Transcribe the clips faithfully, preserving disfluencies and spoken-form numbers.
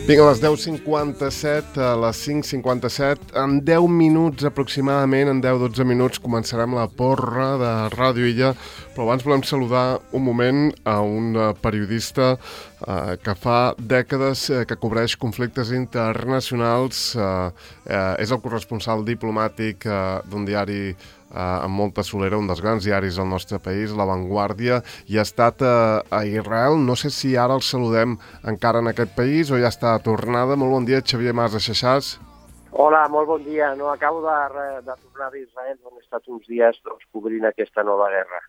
Vinga, a les deu cinquanta-set, a les cinc cinquanta-set, en deu minuts aproximadament, en deu dotze minuts, començarem la porra de Ràdio Illa, però abans volem saludar un moment a un periodista eh, que fa dècades eh, que cobreix conflictes internacionals, eh, eh, és el corresponsal diplomàtic eh, d'un diari Uh, amb molta solera, un dels grans diaris del nostre país, La Vanguardia, i ha estat uh, a Israel. No sé si ara el saludem encara en aquest país o ja està a tornada. Molt bon dia, Xavier Mas de Xaixàs. Hola, molt bon dia. No, acabo de, de tornar d'Israel, on he estat uns dies doncs, cobrint aquesta nova guerra.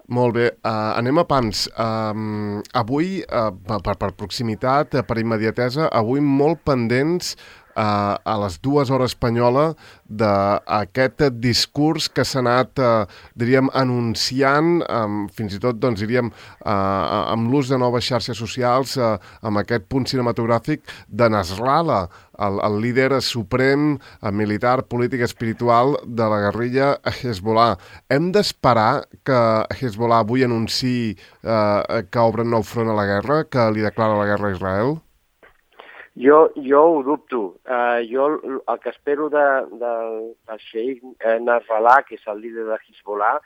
Molt bé, uh, anem a pams. Uh, avui, uh, per, per proximitat, per immediatesa, avui molt pendents Uh, a les dues hores espanyola d'aquest discurs que s'ha anat, uh, diríem, anunciant, um, fins i tot, doncs, diríem, uh, amb l'ús de noves xarxes socials, uh, amb aquest punt cinematogràfic de Nasrallah, el, el líder suprem, uh, militar, polític, espiritual de la guerrilla Hezbollah. Hem d'esperar que Hezbollah avui anunciï uh, que obren nou front a la guerra, que li declara la guerra a Israel? Jo, jo ho dubto. Uh, jo el que espero de, de, del Sheikh Nasrallah, que és el líder de Hezbollah,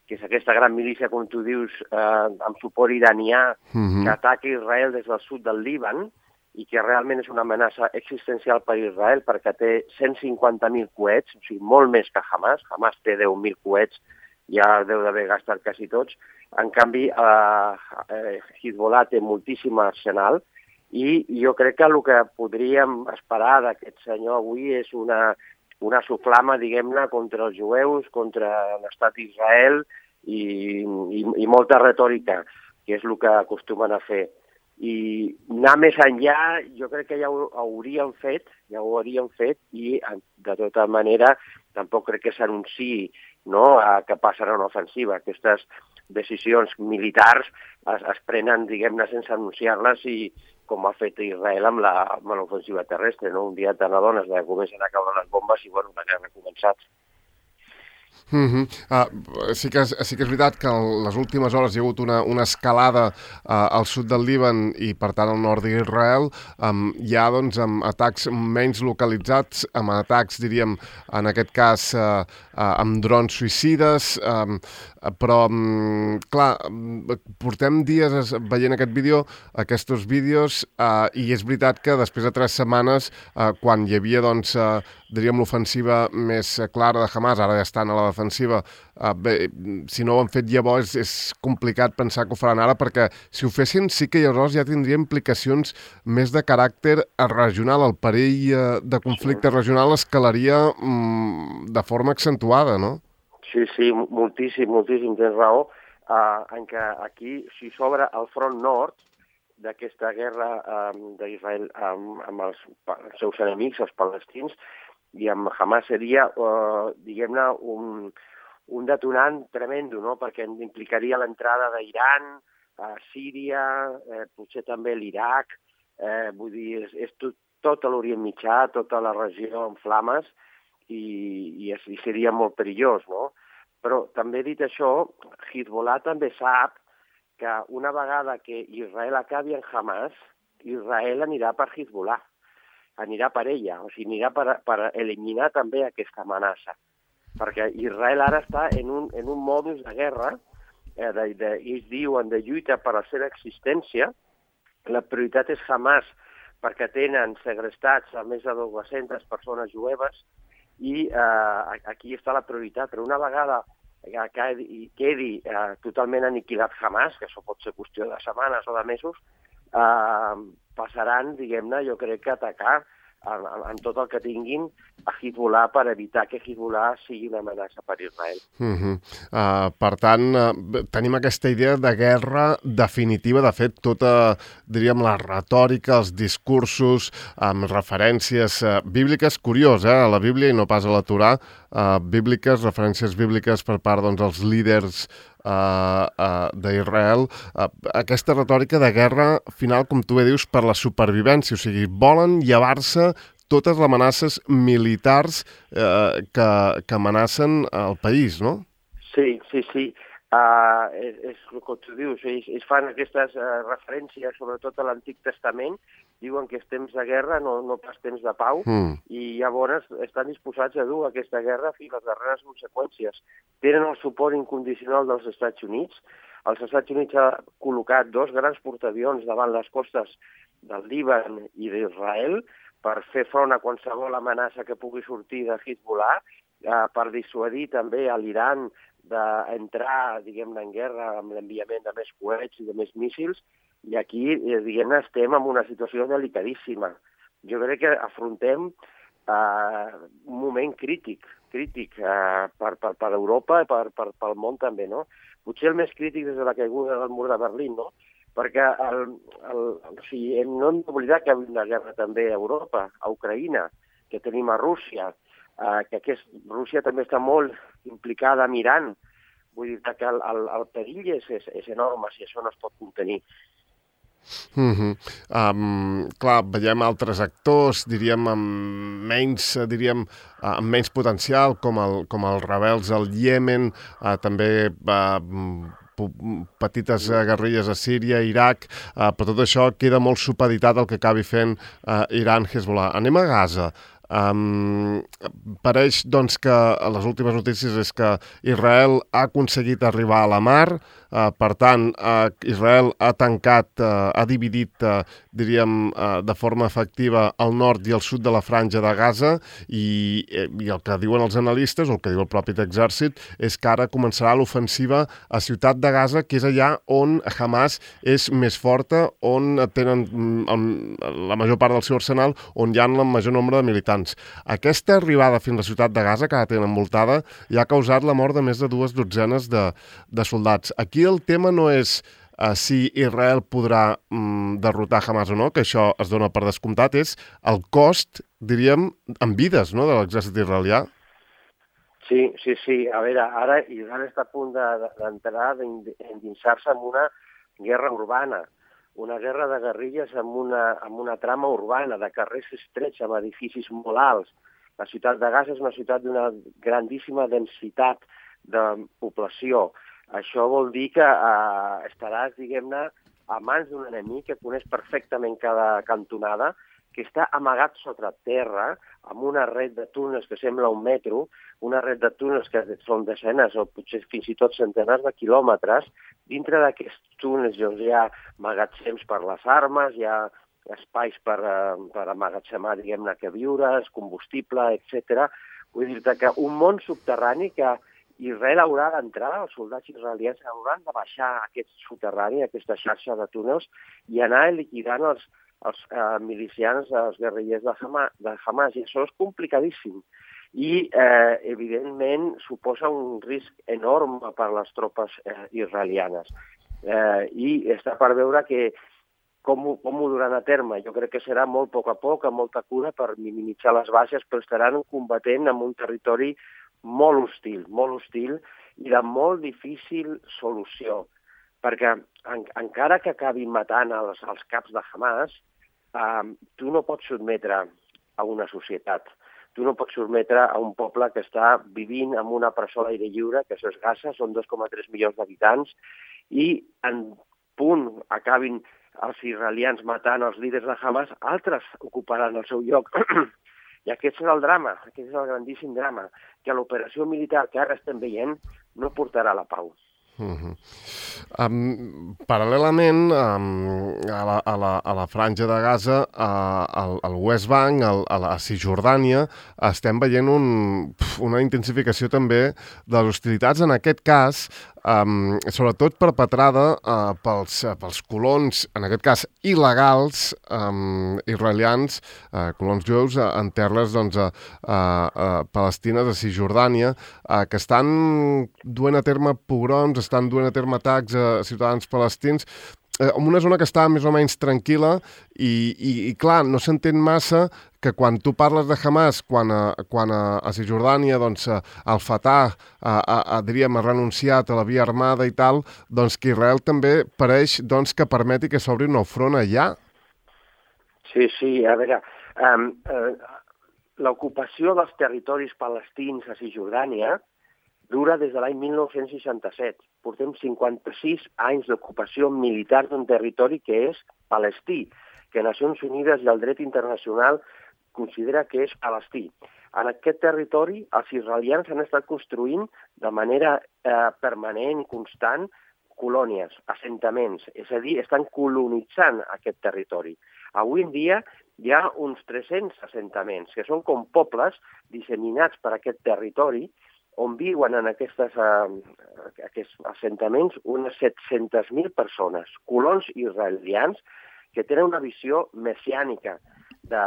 que és aquesta gran milícia, com tu dius, uh, amb suport iranià, uh-huh. que ataca Israel des del sud del Líban i que realment és una amenaça existencial per Israel perquè té cent cinquanta mil coets, o sigui, molt més que Hamas. Hamas té deu mil coets, ja deu d'haver gastat quasi tots. En canvi, uh, uh, Hezbollah té moltíssim arsenal. I jo crec que el que podríem esperar d'aquest senyor avui és una, una soflama, diguem-ne, contra els jueus, contra l'estat d'Israel i, i, i molta retòrica, que és el que acostumen a fer. I anar més enllà, jo crec que ja ho hauríem fet, ja ho hauríem fet, i de tota manera tampoc crec que s'anunciï, no?, que passarà una ofensiva. Aquestes decisions militars es, es prenen, diguem-ne, sense anunciar-les i com ha fet Israel amb l'ofensiva terrestre, no? Un dia te n'adones que comencen a caure les bombes i, bueno, la guerra ha començat. Uh-huh. uh, sí, que és, sí que és veritat que en les últimes hores hi ha hagut una, una escalada uh, al sud del Líban i, per tant, al nord d'Israel. Um, hi ha, doncs, amb atacs menys localitzats, amb atacs, diríem, en aquest cas, uh, uh, amb drons suïcides, um, però, um, clar, portem dies veient aquest vídeo, aquests vídeos, uh, i és veritat que després de tres setmanes, uh, quan hi havia, doncs, uh, diríem, l'ofensiva més clara de Hamas, ara ja estan a la defensiva, uh, bé, si no ho han fet llavors és complicat pensar que ho faran ara, perquè si ho fessin sí que llavors ja tindria implicacions més de caràcter regional. El perill uh, de conflicte regional escalaria um, de forma accentuada, no? Sí, sí, moltíssim, moltíssim, tens raó, uh, en què aquí, si s'obre el front nord d'aquesta guerra um, d'Israel um, amb els, els seus enemics, els palestins, i amb Hamas seria, uh, diguem-ne, un, un detonant tremendo, no?, perquè implicaria l'entrada d'Iran, a Síria, eh, potser també l'Iraq, eh, vull dir, és, és tot, tot l'Orient Mitjà, tota la regió en flames, i, i, és, i seria molt perillós, no? Però també dit això, Hezbollah també sap que una vegada que Israel acabi en Hamas, Israel anirà per Hezbollah, anirà per ella, o sigui, anirà per, per eliminar també aquesta amenaça. Perquè Israel ara està en un, en un modus de guerra, eh, de, de, ells diuen de lluita per la seva existència. La prioritat és Hamas, perquè tenen segrestats a més de dues-centes persones jueves, i eh, aquí està la prioritat. Però una vegada que quedi eh, totalment aniquilat Hamas, que això pot ser qüestió de setmanes o de mesos, eh, passaran, diguem-ne, jo crec que atacar en, en tot el que tinguin a Hezbollah per evitar que Hezbollah sigui una amenaça per Israel. Uh-huh. uh, per tant, uh, tenim aquesta idea de guerra definitiva. De fet, tota, diríem, la retòrica, els discursos amb referències uh, bíbliques, curiós, eh, a la Bíblia i no pas a la Torà, uh, bíbliques, referències bíbliques per part, doncs, dels líders Uh, uh, d'Israel, uh, aquesta retòrica de guerra final, com tu bé dius, per la supervivència, o sigui, volen llevar-se totes les amenaces militars uh, que, que amenacen el país, no? Sí, sí, sí. Uh, és, és el que tu dius, ells, ells fan aquestes uh, referències, sobretot a l'Antic Testament, diuen que és temps de guerra, no, no pas temps de pau, mm. i llavors estan disposats a dur aquesta guerra fins a les darreres conseqüències. Tenen el suport incondicional dels Estats Units. Els Estats Units ha col·locat dos grans portaavions davant les costes del Líban i d'Israel per fer front a qualsevol amenaça que pugui sortir de Hezbollah, uh, per dissuadir també a l'Iran d'entrar, diguem-ne, en guerra amb l'enviament de més coets i de més míssils, i aquí, diguem-ne, estem en una situació delicadíssima. Jo crec que afrontem uh, un moment crític, crític uh, per, per, per Europa i per, per, pel món també, no? Potser el més crític des de la caiguda del mur de Berlín, no? Perquè el, el, o sigui, no hem d'oblidar que hi ha una guerra també a Europa, a Ucraïna, que tenim a Rússia, Uh, que aquest, Rússia també està molt implicada amb Iran. Vull dir que el, el, el perill és, és, és enorme si això no es pot contenir. Mm-hmm. um, clar, veiem altres actors, diríem, amb menys, diríem, uh, amb menys potencial, com, el, com els rebels al Iemen, uh, també uh, petites uh, guerrilles a Síria, Iraq, uh, però tot això queda molt supeditat al que acabi fent uh, Iran, Hezbollah. Anem a Gaza. Um, pareix doncs que les últimes notícies és que Israel ha aconseguit arribar a la mar, uh, per tant uh, Israel ha tancat, uh, ha dividit, uh, diríem, uh, de forma efectiva el nord i el sud de la franja de Gaza, i, i el que diuen els analistes, o el que diu el propi exèrcit, és que ara començarà l'ofensiva a Ciutat de Gaza, que és allà on Hamas és més forta, on tenen um, la major part del seu arsenal, on hi ha el major nombre de militants. Aquesta arribada fins a la ciutat de Gaza, que la tenen envoltada, ja ha causat la mort de més de dues dotzenes de, de soldats. Aquí el tema no és uh, si Israel podrà um, derrotar Hamas o no, que això es dona per descomptat, és el cost, diríem, en vides, no?, de l'exèrcit israelià. Sí, sí, sí. A veure, ara Israel està a punt d'entrar, de, d'endinsar-se en una guerra urbana, una guerra de guerrilles amb una, amb una trama urbana, de carrers estrets, amb edificis molt alts. La ciutat de Gaza és una ciutat d'una grandíssima densitat de població. Això vol dir que eh, estaràs, diguem-ne, a mans d'un enemic que coneix perfectament cada cantonada, que està amagat sota terra, amb una red de túnels que sembla un metro, una red de túnels que són desenes o potser fins i tot centenars de quilòmetres. Dintre d'aquests túnels doncs, hi ha magatzems per les armes, hi ha espais per, per amagatzemar, diguem-ne, queviures, combustible, etcètera. Vull dir-te que un món subterrani que Israel haurà d'entrar, els soldats israelians hauran de baixar aquest soterrani, aquesta xarxa de túnels, i anar liquidant els, els eh, milicians, els guerrillers de Hamas, de Hamas, i això és complicadíssim. I, eh, evidentment, suposa un risc enorme per a les tropes eh, israelianes. Eh, I està per veure que com, com ho duran a terme. Jo crec que serà molt a poc a poc, amb molta cura, per minimitzar les baixes, però estaran combatent en un territori molt hostil, molt hostil i de molt difícil solució. Perquè en, encara que acabin matant els, els caps de Hamas, eh, tu no pots sotmetre a una societat. Tu no pots sotmetre a un poble que està vivint en una presó a l'aire lliure, que això és Gaza, són dos coma tres milions d'habitants, i en punt acabin els israelians matant els líders de Hamas, altres ocuparan el seu lloc. I aquest és el drama, aquest és el grandíssim drama, que l'operació militar que ara estem veient no portarà a la pau. Uh-huh. Um, paral·lelament um, a, la, a, la, a la franja de Gaza, uh, al, al West Bank, al, a la Cisjordània, estem veient un, una intensificació també de les hostilitats, en aquest cas um, sobretot perpetrada uh, pels, uh, pels colons, en aquest cas il·legals, um, israelians, uh, colons jueus uh, en terres doncs, uh, uh, palestines de Cisjordània, uh, que estan duent a terme pogroms, estan duent a terme atacs a ciutadans palestins, eh, en una zona que està més o menys tranquil·la i, i, i clar, no s'entén massa que quan tu parles de Hamas, quan a, quan a, a Cisjordània, doncs, el Fatah, a, a, a, diríem, ha renunciat a la via armada i tal, doncs que Israel també pareix doncs, que permeti que s'obri un nou front allà. Sí, sí, a veure, um, uh, l'ocupació dels territoris palestins a Cisjordània dura des de l'any mil nou-cents seixanta-set. Portem cinquanta-sis anys d'ocupació militar d'un territori que és palestí, que Nacions Unides i el dret internacional considera que és palestí. En aquest territori, els israelians han estat construint de manera eh, permanent, constant, colònies, assentaments, és a dir, estan colonitzant aquest territori. Avui en dia hi ha uns tres-cents assentaments, que són com pobles disseminats per aquest territori, on viuen en aquestes, eh, aquests assentaments unes set-centes mil persones, colons israelians, que tenen una visió messiànica de,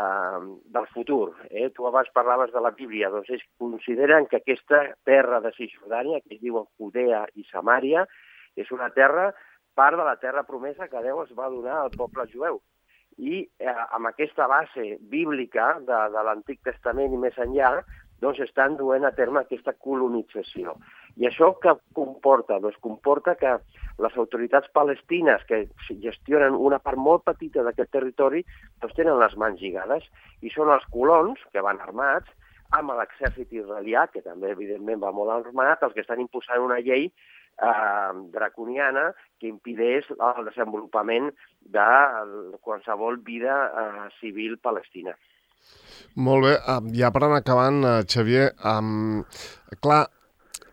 del futur. Eh? Tu abans parlaves de la Bíblia, doncs ells consideren que aquesta terra de Cisjordània, que es diuen Judea i Samària, és una terra, part de la terra promesa que Déu es va donar al poble jueu. I eh, amb aquesta base bíblica de, de l'Antic Testament i més enllà, doncs estan duent a terme aquesta colonització. I això què comporta? Doncs comporta que les autoritats palestines, que gestionen una part molt petita d'aquest territori, doncs tenen les mans lligades, i són els colons, que van armats, amb l'exèrcit israelià, que també evidentment va molt armat, els que estan imposant una llei eh, draconiana que impedeix el desenvolupament de qualsevol vida eh, civil palestina. Molt bé, ja per anar acabant, Xavier, um, clar,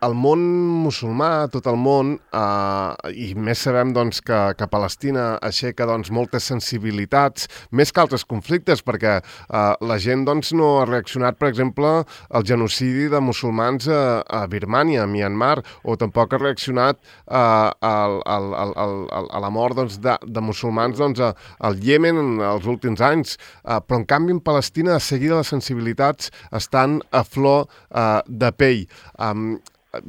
el món musulmà, tot el món, eh, i més sabem doncs, que, que Palestina aixeca doncs, moltes sensibilitats, més que altres conflictes, perquè eh, la gent doncs, no ha reaccionat, per exemple, al genocidi de musulmans a, a Birmània, a Myanmar, o tampoc ha reaccionat eh, al, al, al, al, a la mort doncs, de, de musulmans doncs, a, al Iemen els últims anys. Eh, però, en canvi, en Palestina, de seguida les sensibilitats estan a flor eh, de pell. Um,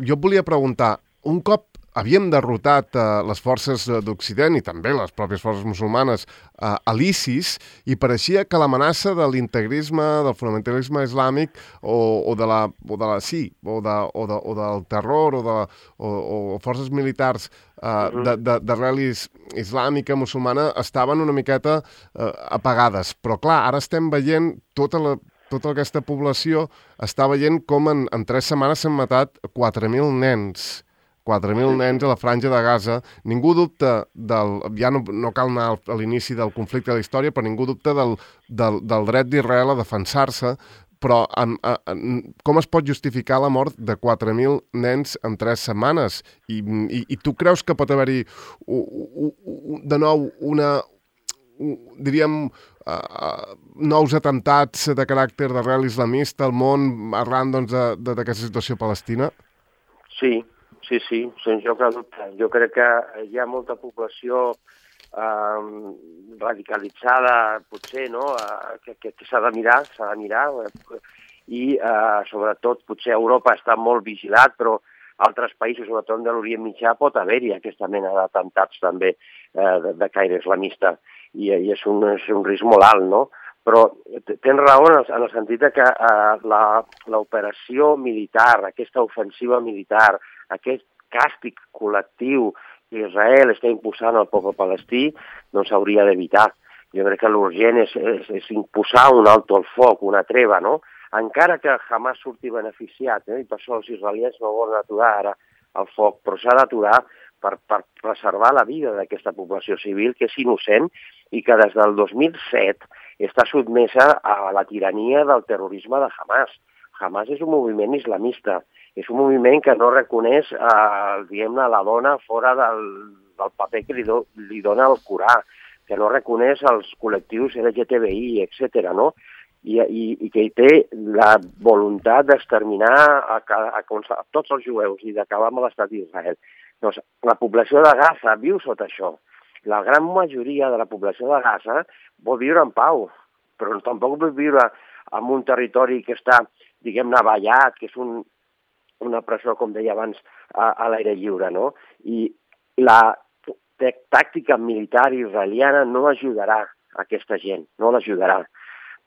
Jo et volia preguntar, un cop havíem derrotat eh, les forces d'Occident i també les pròpies forces musulmanes eh, a l'ISIS, i pareixia que l'amenaça de l'integrisme, del fonamentalisme islàmic o, o, de la, o de la sí, o, de, o, de, o del terror o, de, o, o forces militars eh, d'arrel islàmica, musulmana, estaven una miqueta eh, apagades. Però clar, ara estem veient tota la tota aquesta població està veient com en, en tres setmanes s'han matat quatre mil nens. quatre mil nens a la franja de Gaza. Ningú dubta del... Ja no, no cal anar a l'inici del conflicte de la història, però ningú dubta del, del, del dret d'Israel a defensar-se. Però en, en, com es pot justificar la mort de quatre mil nens en tres setmanes? I, i, i tu creus que pot haver-hi de nou una... diríem, uh, nous atemptats de caràcter d'arrel islamista al món arran doncs, d'aquesta situació palestina? Sí, sí, sí, sense joc de dubte. Jo crec que hi ha molta població eh, radicalitzada, potser, no?, uh, que, que, que s'ha de mirar, s'ha de mirar, uh, i uh, sobretot potser Europa està molt vigilat, però altres països, sobretot de l'Orient Mitjà, pot haver-hi aquesta mena d'atemptats també eh, de, de caire islamista. I, i és, un, és un risc molt alt, no? Però tens raó en el, en el sentit que eh, l'operació militar, aquesta ofensiva militar, aquest càstig col·lectiu que Israel està imposant al poble palestí, doncs s'hauria d'evitar. Jo crec que l'urgent és, és, és imposar un alto al foc, una treva, no? Encara que Hamas surti beneficiat, eh? I per això els israelians no volen aturar ara el foc, però s'ha d'aturar per, per preservar la vida d'aquesta població civil, que és innocent i que des del dos mil set està sotmesa a la tirania del terrorisme de Hamas. Hamas és un moviment islamista, és un moviment que no reconeix eh, diguem-ne, la dona fora del, del paper que li, do, li dona el Corà, que no reconeix els col·lectius L G T B I, etcètera, no? I, i, i que té la voluntat d'exterminar a, a, a, a tots els jueus i d'acabar amb l'estat d'Israel. Doncs la població de Gaza viu sota això. La gran majoria de la població de Gaza vol viure en pau, però tampoc vol viure en un territori que està, diguem-ne, vallat, que és un, una presó, com deia abans, a, a l'aire lliure, no? I la tàctica militar israeliana no ajudarà a aquesta gent, no l'ajudarà.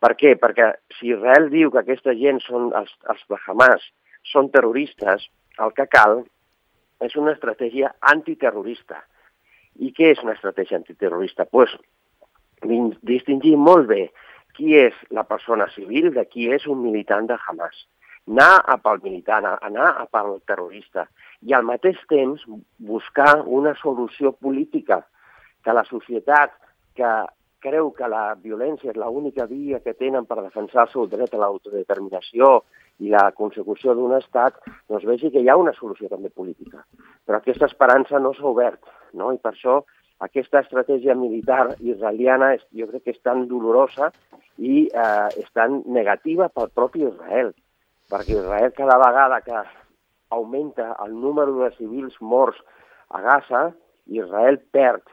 Per què? Perquè si Israel diu que aquesta gent són els, els de Hamas, són terroristes, el que cal és una estratègia antiterrorista. I què és una estratègia antiterrorista? Doncs pues, distingir molt bé qui és la persona civil de qui és un militant de Hamas. anar a pel militant, anar a pel terrorista, i al mateix temps buscar una solució política, que la societat que creu que la violència és l'única via que tenen per defensar el seu dret a l'autodeterminació i la consecució d'un estat, doncs vegi que hi ha una solució també política. Però aquesta esperança no s'ha obert, no? I per això aquesta estratègia militar israeliana jo crec que és tan dolorosa i eh, és tan negativa pel propi Israel, perquè Israel cada vegada que augmenta el número de civils morts a Gaza, Israel perd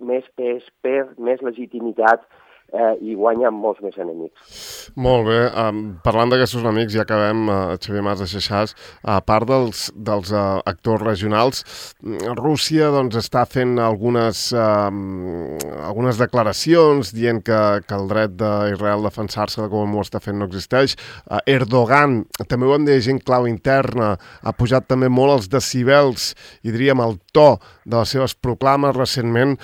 més pes, perd més legitimitat eh, i guanya molts més enemics. Molt bé. Um, parlant d'aquests enemics, ja acabem, uh, Xavier Mas de Xaixàs, a part dels, dels uh, actors regionals, Rússia doncs, està fent algunes, uh, algunes declaracions dient que, que el dret d'Israel a defensar-se com ho està fent no existeix. Uh, Erdogan, també ho hem de gent clau interna, ha pujat també molt els decibels i diríem el to de les seves proclames recentment.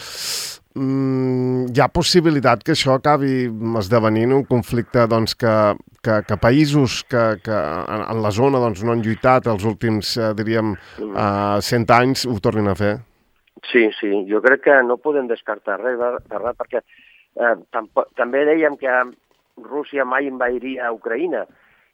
Mm, hi ha possibilitat que això acabi esdevenint un conflicte doncs, que, que, que països que, que en, en la zona doncs, no han lluitat els últims, eh, diríem, eh, cent anys ho tornin a fer? Sí, sí, jo crec que no podem descartar res, de res perquè eh, tampoc, també dèiem que Rússia mai invadiria Ucraïna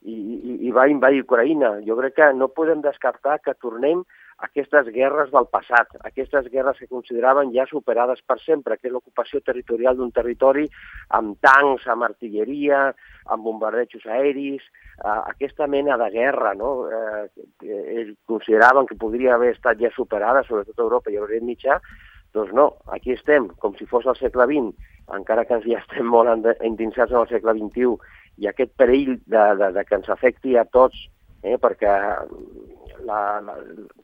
i, i, i va invadir Ucraïna. Jo crec que no podem descartar que tornem aquestes guerres del passat, aquestes guerres que consideraven ja superades per sempre, que és l'ocupació territorial d'un territori amb tancs, amb artilleria, amb bombardejos aeris, eh, aquesta mena de guerra, no? Eh, que ells consideraven que podria haver estat ja superada, sobretot a Europa i a l'Orient Mitjà, doncs no, aquí estem, com si fos el segle vint, encara que ja estem molt endinsats en el segle vint-i-u, i aquest perill de, de, de que ens afecti a tots, eh, perquè La, la,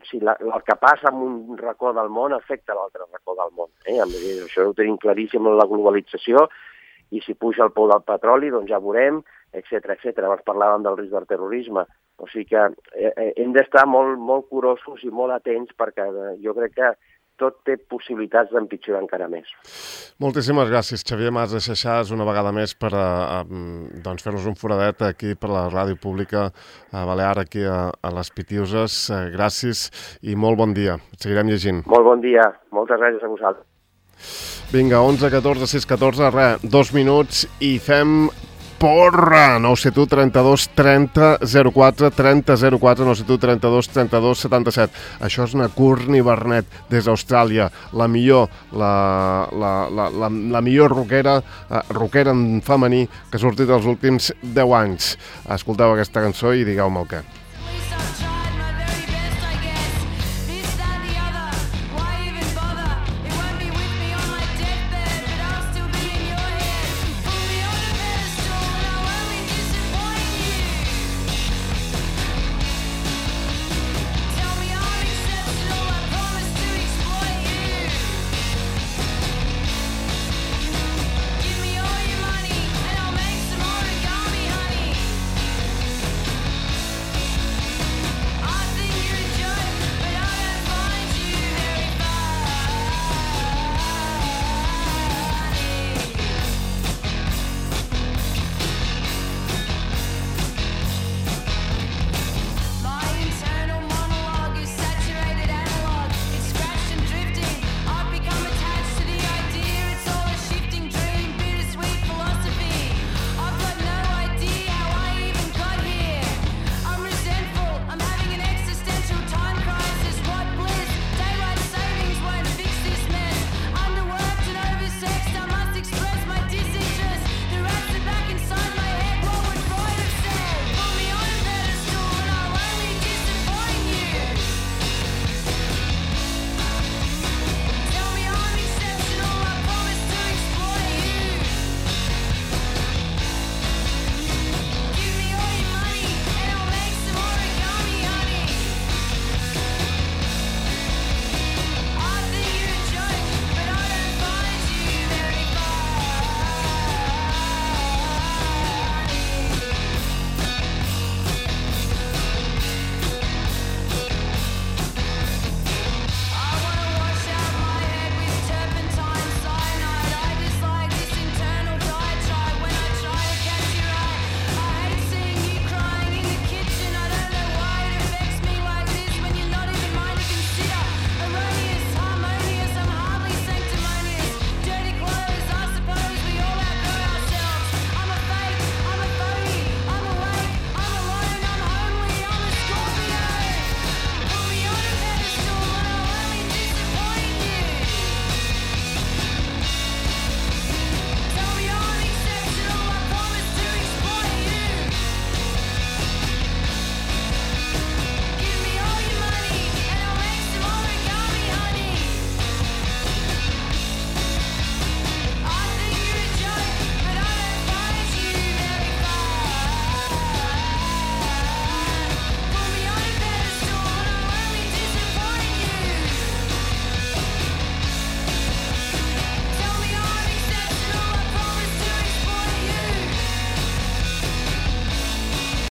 si la, el que passa en un racó del món afecta l'altre racó del món. Eh? Això ho tenim claríssim en la globalització, i si puja el pou del petroli, doncs ja veurem, etcètera, etcètera. Abans parlàvem del risc del terrorisme. O sigui que eh, hem d'estar molt, molt curosos i molt atents, perquè eh, jo crec que tot té possibilitats d'empitjorar encara més. Moltíssimes gràcies, Xavier Mas de Xaixàs, una vegada més per a, a, doncs fer-nos un foradet aquí per la ràdio pública a Balear, aquí a, a les Pitiuses. Gràcies i molt bon dia. Seguirem llegint. Molt bon dia. Moltes gràcies a vosaltres. Vinga, onze catorze sis catorze, res, dos minuts i fem porra! nou set u trenta-dos trenta zero quatre, trenta zero quatre, nou set u trenta-dos trenta-dos setanta-set. Això és una Courtney Barnett des d'Austràlia, la millor, la, la, la, la, la millor rockera, eh, rockera en femení que ha sortit els últims deu anys. Escolteu aquesta cançó i digueu-me el què.